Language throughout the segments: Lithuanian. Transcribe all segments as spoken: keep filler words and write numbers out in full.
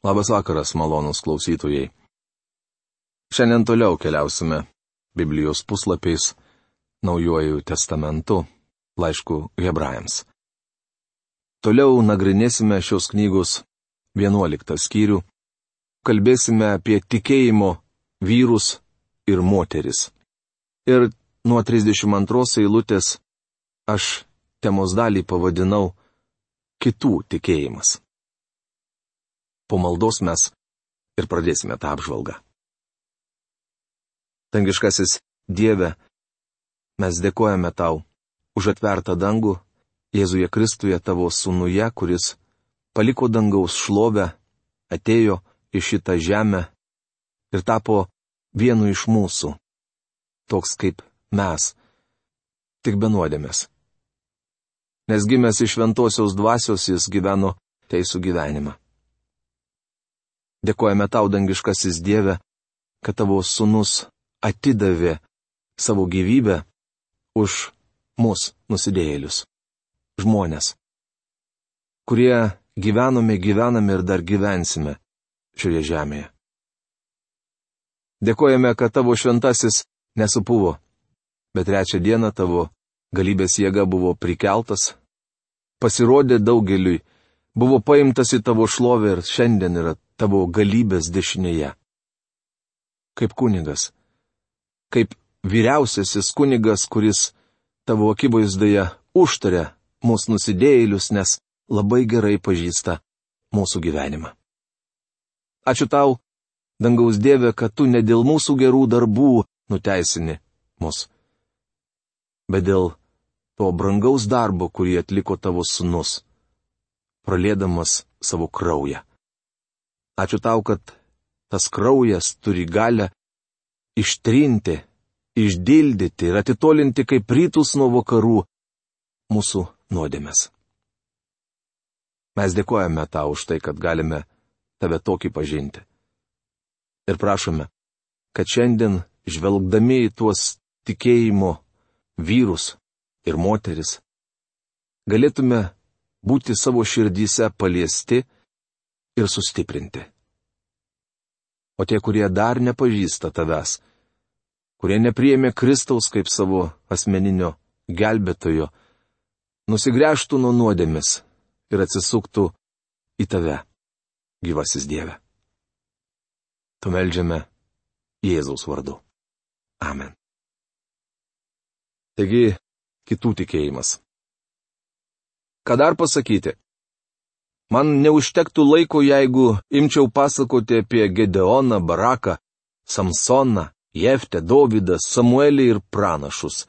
Labas vakaras, malonūs klausytojai. Šiandien toliau keliausime Biblijos puslapiais Naujuoju testamentu, laišku Hebrajams. Toliau nagrinėsime šios knygos vienuoliktą skyrių, kalbėsime apie tikėjimo vyrus ir moteris. Ir nuo trisdešimt antros eilutės aš temos dalį pavadinau Kitų tikėjimas. Po maldos mes ir pradėsime tą apžvalgą. Dangiškasis Dieve, mes dėkojame Tau už atvertą dangų Jėzuje Kristuje Tavo sūnuje, kuris paliko dangaus šlovę, atėjo į šitą žemę ir tapo vienu iš mūsų, toks kaip mes, tik be nuodėmės. Nes gimęs iš šventosios dvasios jis gyveno teisų gyvenimą. Dėkojame Tau, dangiškasis Dieve, kad Tavo sūnus atidavė savo gyvybę už mus nusidėjėlius, žmonės, kurie gyvenome, gyvename ir dar gyvensime šioje žemėje. Dėkojame, kad Tavo šventasis nesupuvo, bet trečią dieną Tavo galybės jėga buvo prikeltas, pasirodė daugeliui, buvo paimtas į Tavo šlovę ir šiandien yra Tavo galybės dešinėje. Kaip kunigas, kaip vyriausiasis kunigas, kuris Tavo akivaizdoje užtaria mūsų nusidėjėlius, nes labai gerai pažįsta mūsų gyvenimą. Ačiū Tau, dangaus Dieve, kad Tu ne dėl mūsų gerų darbų nuteisini mus, bet dėl to brangaus darbo, kurį atliko Tavo sūnus, praliedamas savo kraują. Ačiū Tau, kad tas kraujas turi galę ištrinti, išdildyti ir atitolinti kaip rytus nuo vakarų mūsų nuodėmes. Mes dėkojame Tau už tai, kad galime Tave tokį pažinti. Ir prašome, kad šiandien, žvelgdami į tuos tikėjimo vyrus ir moteris, galėtume būti savo širdyse paliesti ir sustiprinti. O tie, kurie dar nepažįsta Tavęs, kurie nepriėmė Kristaus kaip savo asmeninio gelbėtojo, nusigręžtų nuo nuodėmės ir atsisuktų į Tave, gyvasis Dieve. Tu meldžiame Jėzaus vardu. Amen. Taigi, kitų tikėjimas. Ką dar pasakyti? Man neužtektų laiko, jeigu imčiau pasakoti apie Gedeoną, Baraką, Samsoną, Jeftę, Dovydą, Samuelį ir pranašus.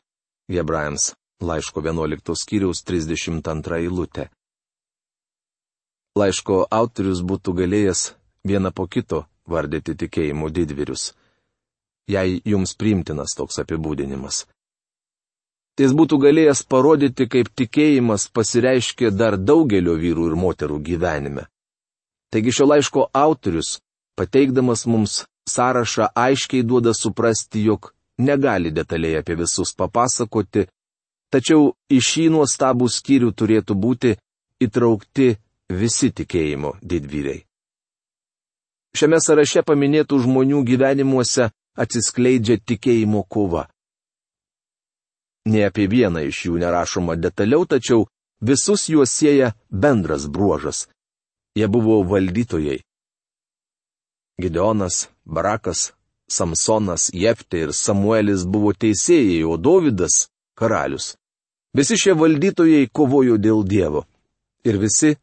Hebrajams laiško vienuoliktos skyriaus trisdešimt antra eilutė. Laiško autorius būtų galėjęs vieną po kito vardyti tikėjimo didvyrius, jei jums priimtinas toks apibūdinimas. Jis būtų galėjęs parodyti, kaip tikėjimas pasireiškia dar daugelio vyrų ir moterų gyvenime. Taigi šio laiško autorius, pateikdamas mums sąrašą, aiškiai duoda suprasti, jog negali detaliai apie visus papasakoti, tačiau į šį nuostabų skyrių turėtų būti įtraukti visi tikėjimo didvyriai. Šiame sąraše paminėtų žmonių gyvenimuose atsiskleidžia tikėjimo kova. Ne apie vieną iš jų nerašoma detaliau, tačiau visus juos sieja bendras bruožas. Jie buvo valdytojai. Gideonas, Barakas, Samsonas, Jeftė ir Samuelis buvo teisėjai, o Dovydas – karalius. Visi šie valdytojai kovojo dėl Dievo. Ir visi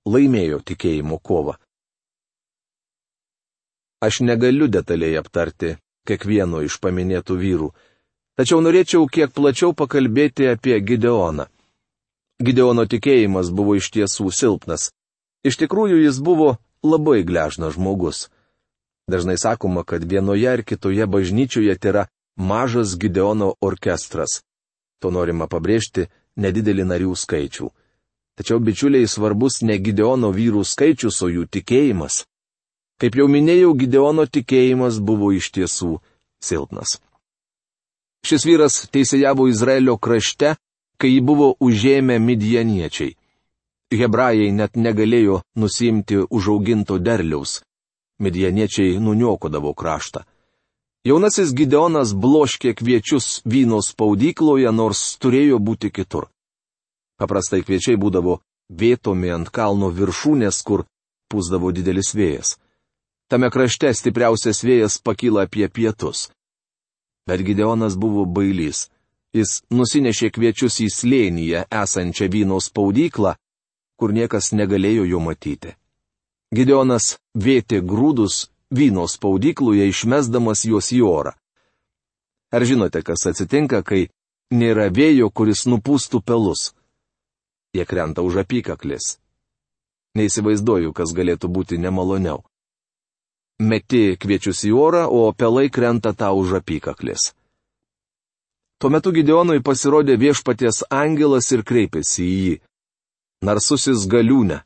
laimėjo tikėjimo kovą. Aš negaliu detaliai aptarti kiekvieno iš paminėtų vyrų, tačiau norėčiau kiek plačiau pakalbėti apie Gideoną. Gideono tikėjimas buvo iš tiesų silpnas. Iš tikrųjų jis buvo labai gležnas žmogus. Dažnai sakoma, kad vienoje ar kitoje bažnyčioje yra mažas Gideono orkestras. To norima pabrėžti nedidelį narių skaičių. Tačiau bičiuliai svarbus ne Gideono vyrų skaičius, o jų tikėjimas. Kaip jau minėjau, Gideono tikėjimas buvo iš tiesų silpnas. Šis vyras teisėjavo Izraelio krašte, kai jį buvo užėmę midjaniečiai. hebrajai net negalėjo nusimti užauginto derliaus. Midjaniečiai nuniokodavo kraštą. Jaunasis Gideonas bloškė kviečius vyno spaudykloje, nors turėjo būti kitur. Paprastai kviečiai būdavo vėtomi ant kalno viršūnės, kur pūsdavo didelis vėjas. Tame krašte stipriausias vėjas pakyla apie pietus. Bet Gideonas buvo bailys. Jis nusinešė kviečius į slėnyje esančią vyno spaudyklą, kur niekas negalėjo jo matyti. Gideonas vėtė grūdus vyno spaudykloje, išmesdamas juos į orą. Ar žinote, kas atsitinka, kai nėra vėjo, kuris nupūstų pelus? Jie krenta už apykaklės. Neįsivaizduoju, kas galėtų būti nemaloniau. Meti kviečius į orą, o pelai krenta tau už apykaklės. Tuo metu Gideonui pasirodė viešpaties angelas ir kreipėsi į jį. Narsusis galiūne.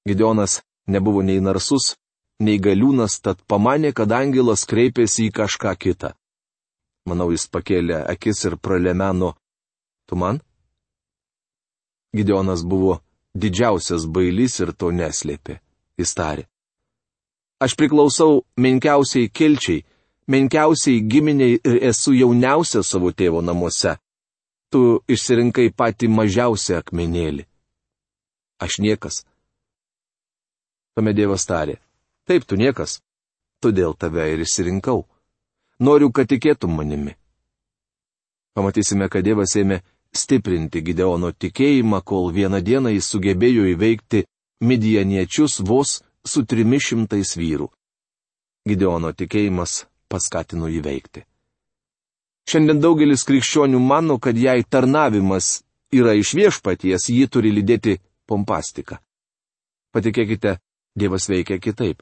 Gideonas nebuvo nei narsus, nei galiūnas, tad pamanė, kad angelas kreipėsi į kažką kitą. Manau, jis pakėlė akis ir pralemeno. Tu man? Gideonas buvo didžiausias bailys ir to neslėpė. Jis tarė. Aš priklausau menkiausiai kilčiai, menkiausiai giminiai ir esu jauniausias savo tėvo namuose. Tu išsirinkai patį mažiausią akmenėlį. Aš niekas. Tuomet Dievas tarė. Taip, tu niekas. Todėl tave ir išsirinkau. Noriu, kad tikėtum manimi. Pamatysime, kad Dievas ėmė stiprinti Gideono tikėjimą, kol vieną dieną jis sugebėjo įveikti midjaniečius vos su trimis šimtais vyrų. Gideono tikėjimas paskatino įveikti. Šiandien daugelis krikščionių mano, kad jei tarnavimas yra iš viešpaties, jį turi lydėti pompastika. Patikėkite, Dievas veikia kitaip.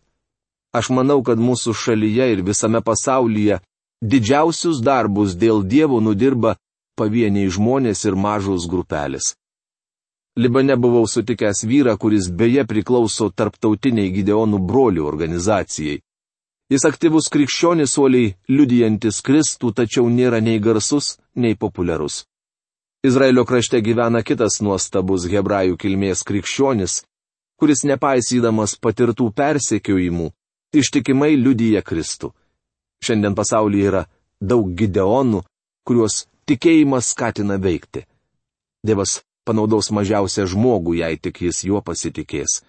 Aš manau, kad mūsų šalyje ir visame pasaulyje didžiausius darbus dėl Dievo nudirba pavieniai žmonės ir mažos grupelės. Libane buvau sutikęs vyrą, kuris beje priklauso tarptautiniai Gideonų brolių organizacijai. Jis aktyvus krikščionis, uoliai liudijantis Kristų, tačiau nėra nei garsus, nei populiarus. Izraelio krašte gyvena kitas nuostabus hebrajų kilmės krikščionis, kuris nepaisydamas patirtų persekiojimų, ištikimai liudija Kristų. Šiandien pasaulyje yra daug Gideonų, kuriuos tikėjimas skatina veikti. Dievas panaudos mažiausią žmogų, jei tik jis juo pasitikės.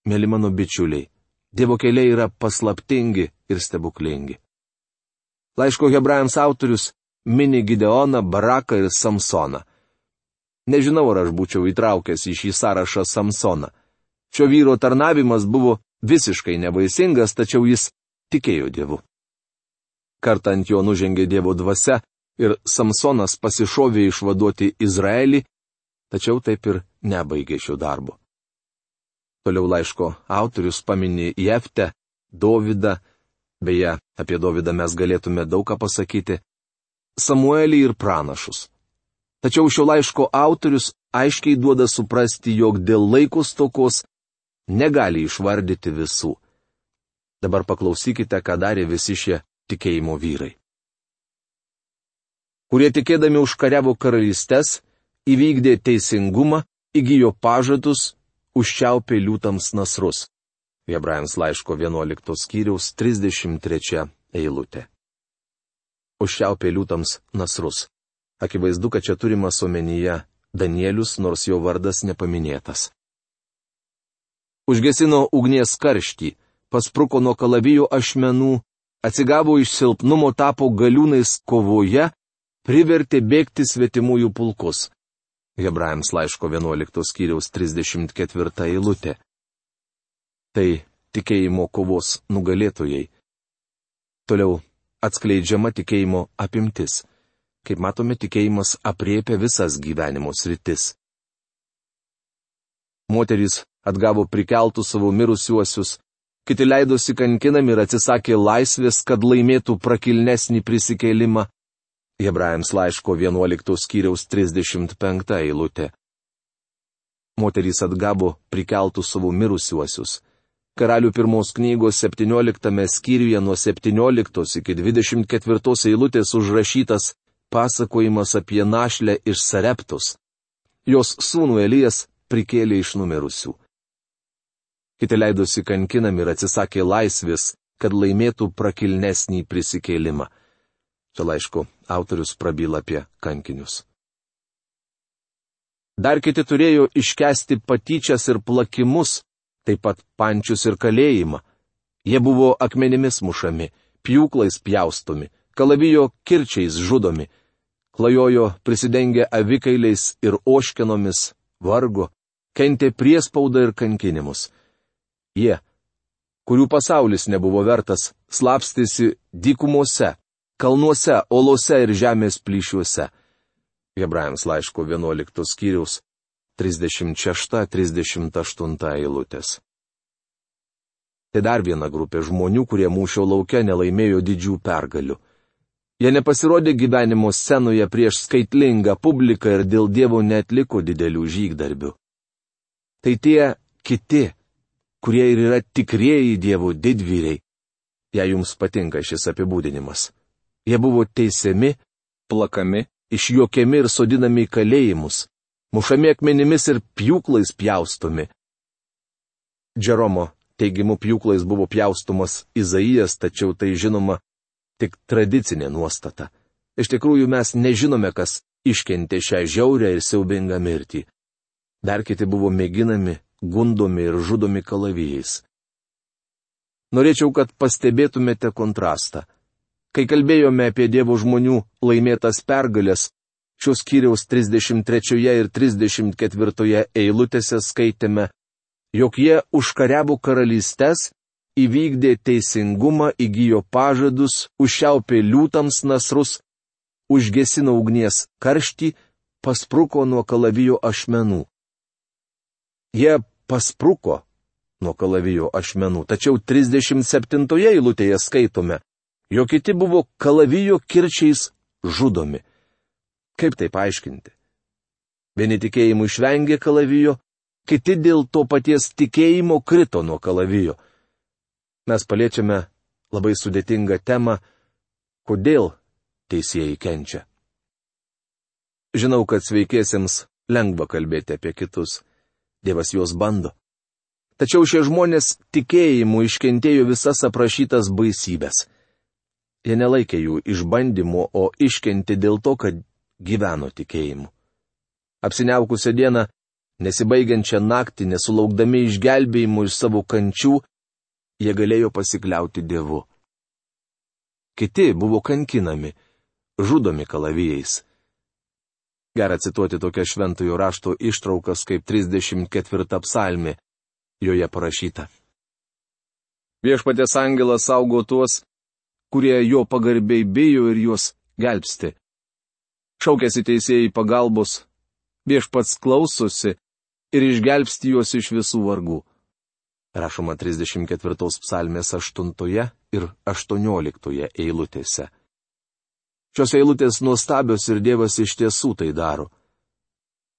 Mėly mano bičiuliai, Dievo keliai yra paslaptingi ir stebuklingi. Laiško hebrajams autorius mini Gideoną, Baraką ir Samsoną. Nežinau, ar aš būčiau įtraukęs į šį sąrašą Samsoną. Šio vyro tarnavimas buvo visiškai nevaisingas, tačiau jis tikėjo Dievu. Kartą ant jo nužengė Dievo dvasia ir Samsonas pasišovė išvaduoti Izraelį, tačiau taip ir nebaigė šio darbo. Toliau laiško autorius pamini Jeftę, Dovydą, beje, apie Dovydą mes galėtume daug ką pasakyti, Samuelį ir pranašus. Tačiau šio laiško autorius aiškiai duoda suprasti, jog dėl laiko stokos negali išvardyti visų. Dabar paklausykite, ką darė visi šie tikėjimo vyrai. Kurie tikėdami užkariavo karalystes, įvykdė teisingumą, įgijo pažadus, užčiaupė liūtams nasrus. Hebrajams laiško vienuoliktos skyriaus trisdešimt trečia eilutė. Užčiaupė liūtams nasrus. Akivaizdu, kad čia turimas omenyje Danielius, nors jo vardas nepaminėtas. Užgesino ugnies karštį, paspruko nuo kalavijo ašmenų, atsigavo iš silpnumo, tapo galiūnais kovoje, privertė bėgti svetimųjų pulkus. Hebrajams laiško vienuoliktos skyriaus trisdešimt ketvirta eilutė. Tai tikėjimo kovos nugalėtojai. Toliau atskleidžiama tikėjimo apimtis. Kaip matome, tikėjimas apriepia visas gyvenimo sritis. Moterys atgavo prikeltus savo mirusiuosius, kiti leidosi kankinami ir atsisakė laisvės, kad laimėtų prakilnesnį prisikėlimą. Hebrajams laiško vienuoliktos skyriaus trisdešimt penkta eilutė. Moterys atgavo prikeltus savo mirusiuosius. Karalių pirmos knygos septynioliktame skyriuje nuo septynioliktos iki dvidešimt ketvirtos eilutės užrašytas pasakojimas apie našlę iš Sareptos. jos sūnų Elijas prikėlė iš numirusių. Kiti leidosi kankinami ir atsisakė laisvės, kad laimėtų prakilnesnį prisikėlimą. Čia laiško autorius prabyla apie kankinius. Dar kiti turėjo iškesti patyčias ir plakimus, taip pat pančius ir kalėjimą. Jie buvo akmenimis mušami, pjūklais pjaustomi, kalavijo kirčiais žudomi, klajojo prisidengę avikailiais ir oškenomis, vargo, kentė priespaudą ir kankinimus. Jie, kurių pasaulis nebuvo vertas, slapstėsi dykumose, kalnuose, olose ir žemės plyšiuose. Hebrajams laiško vienuoliktos skyriaus trisdešimt šešta trisdešimt aštunta eilutės. Tai dar viena grupė žmonių, kurie mūšio lauke nelaimėjo didžių pergalių. Jie nepasirodė gyvenimo scenoje prieš skaitlingą publiką ir dėl Dievo neatliko didelių žygdarbių. Tai tie kiti, kurie ir yra tikrieji Dievo didvyriai, jei jums patinka šis apibūdinimas. Jie buvo teisiami, plakami, išjuokiami ir sodinami į kalėjimus, mušami akmenimis ir pjūklais pjaustomi. Džeromo teigimu pjūklais buvo pjaustomas Izaijas, tačiau tai žinoma tik tradicinė nuostata. Iš tikrųjų mes nežinome, kas iškentė šią žiaurę ir siaubingą mirtį. Dar kiti buvo mėginami, gundomi ir žudomi kalavijais. Norėčiau, kad pastebėtumėte kontrastą. Kai kalbėjome apie Dievo žmonių laimėtas pergalės, šios skyriaus trisdešimt trečioje ir trisdešimt ketvirtoje eilutėse skaitėme, jog jie užkariavo karalystes, įvykdė teisingumą, įgijo pažadus, užšiaupė liūtams nasrus, užgesino ugnies karštį, paspruko nuo kalavijo ašmenų. Jie paspruko nuo kalavijo ašmenų, tačiau trisdešimt septintoje eilutėje skaitome, jog kiti buvo kalavijo kirčiais žudomi. Kaip tai paaiškinti? Vieni tikėjimu išvengė kalavijo, kiti dėl to paties tikėjimo krito nuo kalavijo. Mes paliečiame labai sudėtingą temą, kodėl teisėjai kenčia. Žinau, kad sveikiesiems lengva kalbėti apie kitus. Dievas juos bando. Tačiau šie žmonės tikėjimu iškentėjo visas aprašytas baisybės. Jie nelaikė jų išbandymu, o iškentė dėl to, kad gyveno tikėjimu. Apsiniaukusią dieną, nesibaigiančią naktį, nesulaukdami išgelbėjimų iš savo kančių, jie galėjo pasikliauti Dievu. Kiti buvo kankinami, žudomi kalavijais. Gera cituoti tokias šventojo rašto ištraukas kaip trisdešimt ketvirta psalmė, joje parašyta. Viešpaties angelas saugo tuos, kurie jo pagarbiai bijo ir juos gelbsti. Šaukėsi teisėjai pagalbos, viešpats klausosi ir išgelbsti juos iš visų vargų. Rašoma trisdešimt ketvirtos psalmės aštuntoje ir aštuonioliktoje eilutėse. Šios eilutės nuostabios ir Dievas iš tiesų tai daro.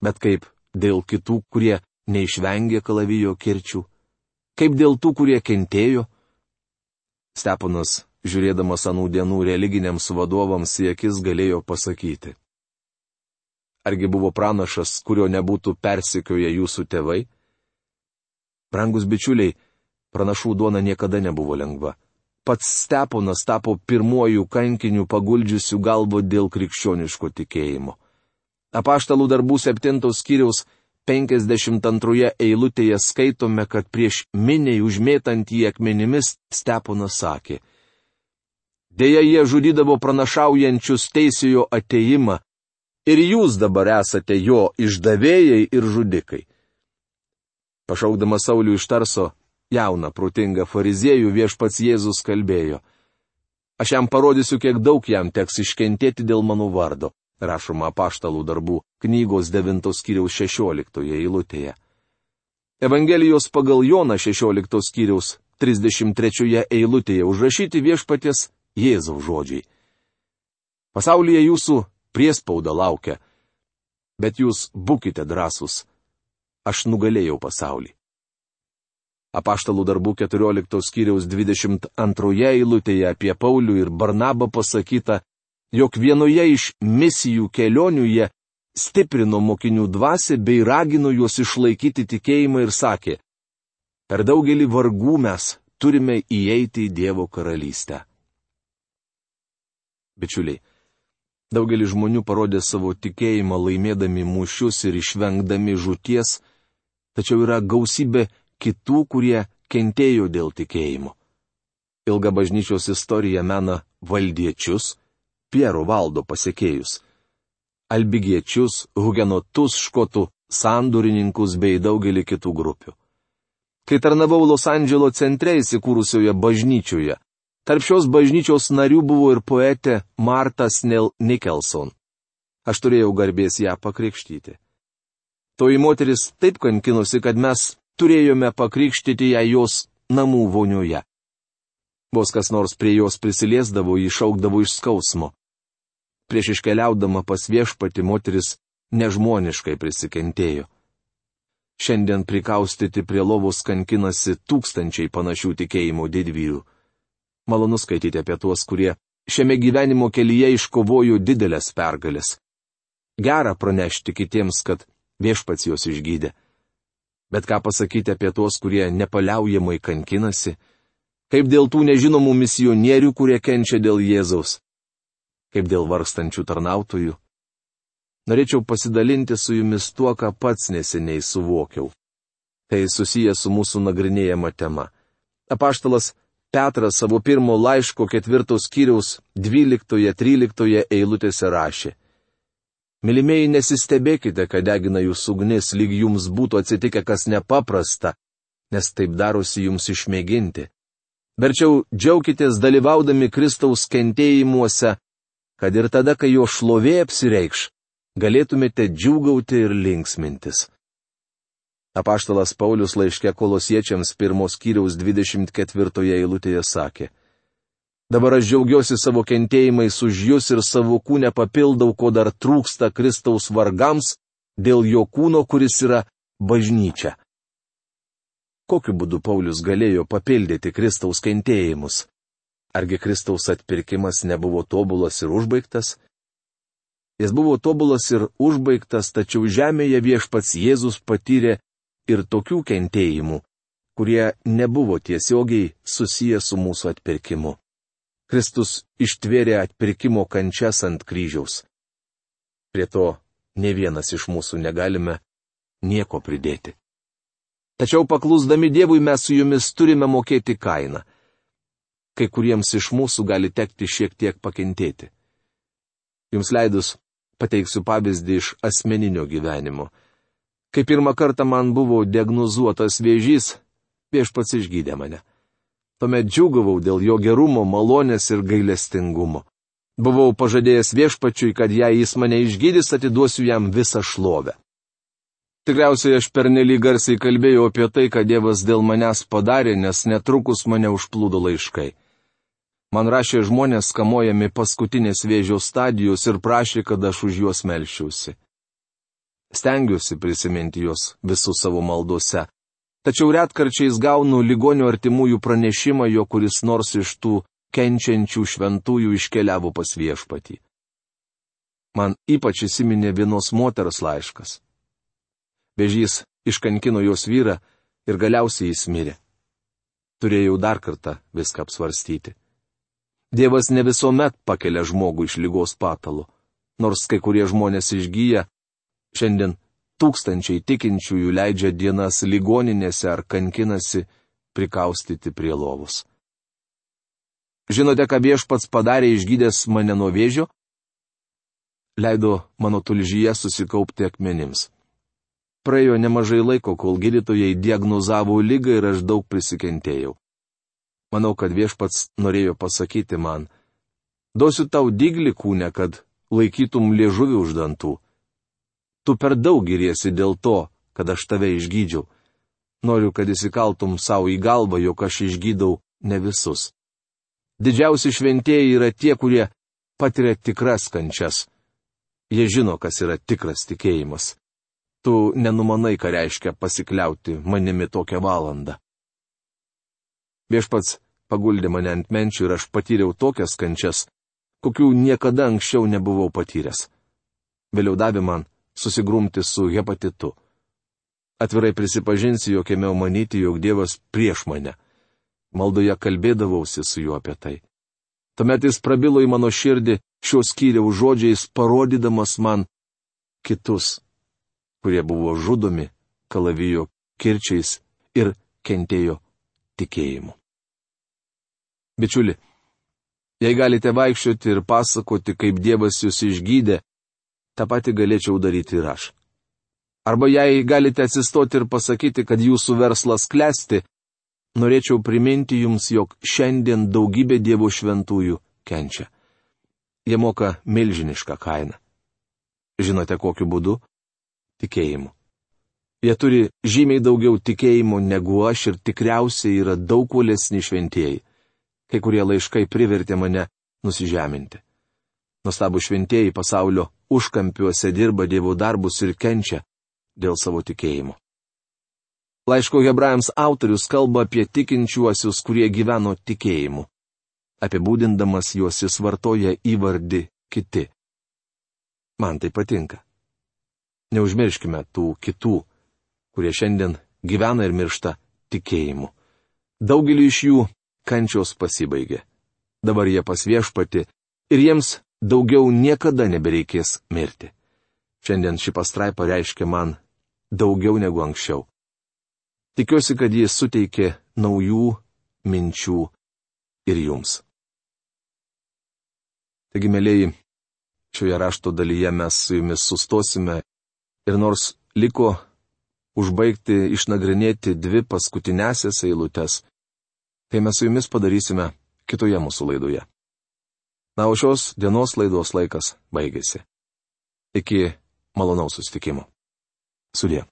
Bet kaip dėl kitų, kurie neišvengė kalavijo kirčių? Kaip dėl tų, kurie kentėjo? Steponas, žiūrėdamas anų dienų religiniams vadovams į akis, galėjo pasakyti. Argi buvo pranašas, kurio nebūtų persekioję jūsų tėvai? Brangus bičiuliai, pranašų duona niekada nebuvo lengva. Pats Steponas tapo pirmuoju kankiniu paguldžiusiu galvą dėl krikščioniško tikėjimo. Apaštalų darbų septintos skyriaus penkiasdešimt antroje eilutėje skaitome, kad prieš miniai užmėtant jį akmenimis Steponas sakė: Deja, jie žudydavo pranašaujančius teisėjo ateimą, ir jūs dabar esate jo išdavėjai ir žudikai. Pašaukdamas Saulių iš Tarso, jauną, protingą fariziejų, viešpats Jėzus kalbėjo: Aš jam parodysiu, kiek daug jam teks iškentėti dėl mano vardo, rašoma Apaštalų darbų knygos devintos skyriaus šešioliktoje eilutėje. Evangelijos pagal Joną šešioliktos skyriaus trisdešimt trečioje eilutėje užrašyti viešpaties Jėzaus žodžiai. Pasaulyje jūsų priespauda laukia, bet jūs būkite drąsūs. Aš nugalėjau pasaulį. Apaštalų darbų keturioliktos skyriaus dvidešimt antroje eilutėje apie Paulių ir Barnabą pasakyta, jog vienoje iš misijų kelionių jie stiprino mokinių dvasią bei ragino juos išlaikyti tikėjimą ir sakė: per daugelį vargų mes turime įeiti į Dievo karalystę. Bičiuliai, daugelis žmonių parodė savo tikėjimą laimėdami mūšius ir išvengdami žūties, tačiau yra gausybė kitų, kurie kentėjo dėl tikėjimo. Ilga bažnyčios istorija mena valdiečius, Piero valdo pasekėjus, albigiečius, hugenotus, škotų sandurininkus bei daugelį kitų grupių. Kai tarnavau Los Andželo centre įsikūrusioje bažnyčioje, tarp šios bažnyčios narių buvo ir poetė Martha Snell Nicholson. Aš turėjau garbės ją pakrikštyti. Toji moteris taip kankinosi, kad mes turėjome pakrikštyti ją jos namų vonioje. Vos kas nors prie jos prisiliesdavo, jį šaukdavo iš skausmo. Prieš iškeliaudama pas viešpatį moteris nežmoniškai prisikentėjo. Šiandien prikaustyti prie lovos kankinasi tūkstančiai panašių tikėjimo didvyrių. Malonu skaityti apie tuos, kurie šiame gyvenimo kelyje iškovojo didelės pergalės. Gera pranešti kitiems, kad viešpats juos išgydė. Bet ką pasakyti apie tuos, kurie nepaliaujamai kankinasi? Kaip dėl tų nežinomų misionierių, kurie kenčia dėl Jėzaus? Kaip dėl vargstančių tarnautojų? Norėčiau pasidalinti su jumis tuo, ką pats neseniai suvokiau. Tai susijęs su mūsų nagrinėjama tema. Apaštalas Petras savo pirmo laiško ketvirtos skyriaus dvyliktoje tryliktoje eilutėse rašė: Mylimieji, nesistebėkite, kad degina jūsų ugnis, lyg jums būtų atsitikę kas nepaprasta, nes taip darosi jums išmėginti. Verčiau džiaukitės dalyvaudami Kristaus kentėjimuose, kad ir tada, kai jo šlovė apsireikš, galėtumėte džiūgauti ir linksmintis. Apaštalas Paulius laiške Kolosiečiams pirmos skyriaus dvidešimt ketvirtoje eilutėje sakė: Dabar aš džiaugiuosi savo kentėjimais už jūs ir savo kūne papildau, ko dar trūksta Kristaus vargams, dėl jo kūno, kuris yra bažnyčia. Kokiu būdu Paulius galėjo papildyti Kristaus kentėjimus? Argi Kristaus atpirkimas nebuvo tobulas ir užbaigtas? Jis buvo tobulas ir užbaigtas, tačiau žemėje viešpats Jėzus patyrė ir tokių kentėjimų, kurie nebuvo tiesiogiai susiję su mūsų atpirkimu. Kristus ištvėrė atpirkimo kančias ant kryžiaus. Prie to ne vienas iš mūsų negalime nieko pridėti. Tačiau paklusdami Dievui mes su jumis turime mokėti kainą. Kai kuriems iš mūsų gali tekti šiek tiek pakentėti. Jums leidus, pateiksiu pavyzdį iš asmeninio gyvenimo. Kai pirmą kartą man buvo diagnozuotas vėžys, viešpats išgydė mane. Tuomet džiūgavau dėl jo gerumo, malonės ir gailestingumo. Buvau pažadėjęs viešpačiui, kad jei jis mane išgydys, atiduosiu jam visą šlovę. Tikriausiai aš pernelyg garsiai kalbėjau apie tai, ką Dievas dėl manęs padarė, nes netrukus mane užplūdo laiškai. Man rašė žmonės kamuojami paskutinės vėžio stadijos ir prašė, kad aš už juos melščiausi. Stengiuosi prisiminti juos visus savo maldose, tačiau retkarčiais gaunu ligonių artimųjų pranešimą, jo kuris nors iš tų kenčiančių šventųjų iškeliavo pas viešpatį. Man ypač įsiminė vienos moters laiškas. Vėžys iškankino jos vyrą ir galiausiai jis mirė. Turėjau dar kartą viską apsvarstyti. Dievas ne visuomet pakelia žmogų iš ligos patalo. Nors kai kurie žmonės išgyja, šiandien tūkstančiai tikinčiųjų leidžia dienas ligoninėse ar kankinasi prikaustyti prie lovos. Žinote, ką viešpats padarė išgydęs mane nuo vėžio? Leido mano tulžyje susikaupti akmenims. Praėjo nemažai laiko, kol gydytojai diagnozavo ligą ir aš daug prisikentėjau. Manau, kad viešpats norėjo pasakyti man: duosiu tau dyglį kūne, kad laikytum liežuvį už dantų. Tu per daug giriesi dėl to, kad aš tave išgydžiau. Noriu, kad įsikaltum savo į galvą, jog aš išgydau ne visus. Didžiausi šventieji yra tie, kurie patiria tikras kančias. Jie žino, kas yra tikras tikėjimas. Tu nenumanai, ką reiškia pasikliauti manimi tokią valandą. Viešpats paguldė mane ant menčių ir aš patyriau tokias kančias, kokių niekada anksčiau nebuvau patyręs. Vėliau davė man susigrumti su hepatitu. Atvirai prisipažinsiu, jog ėmiau manyti, jog Dievas prieš mane. Maldoje kalbėdavausi su juo apie tai. Tuomet jis prabilo į mano širdį šios skyriaus žodžiais, parodydamas man kitus, kurie buvo žudomi kalavijo kirčiais ir kentėjo tikėjimu. Bičiuli, jei galite vaikščioti ir pasakoti, kaip Dievas jūs išgydė, tą patį galėčiau daryti ir aš. Arba jei galite atsistoti ir pasakyti, kad jūsų verslas klesti, norėčiau priminti jums, jog šiandien daugybė Dievo šventųjų kenčia. Jie moka milžinišką kainą. Žinote, kokiu būdu? Tikėjimu. Jie turi žymiai daugiau tikėjimo negu aš ir tikriausiai yra daug uolesni šventieji. Kai kurie laiškai privertė mane nusižeminti. Nuostabų šventieji pasaulio užkampiuose dirba Dievo darbus ir kenčia dėl savo tikėjimo. Laiško Hebrajams autorius kalba apie tikinčiuosius, kurie gyveno tikėjimu. Apibūdindamas juos jis vartoja įvardį kiti. Man tai patinka. Neužmirškime tų kitų, kurie šiandien gyvena ir miršta tikėjimu. Daugelį iš jų kančios pasibaigė. Dabar jie pas Viešpatį ir jiems daugiau niekada nebereikės mirti. Šiandien ši pastraipa reiškia man daugiau negu anksčiau. Tikiuosi, kad jis suteikė naujų minčių ir jums. Taigi, mėlyji, šioje rašto dalyje mes su jumis sustosime ir nors liko užbaigti išnagrinėti dvi paskutinėsias eilutes, tai mes su jumis padarysime kitoje mūsų laidoje. Na, o šios dienos laidos laikas baigėsi. Iki malonaus susitikimo. Sudie.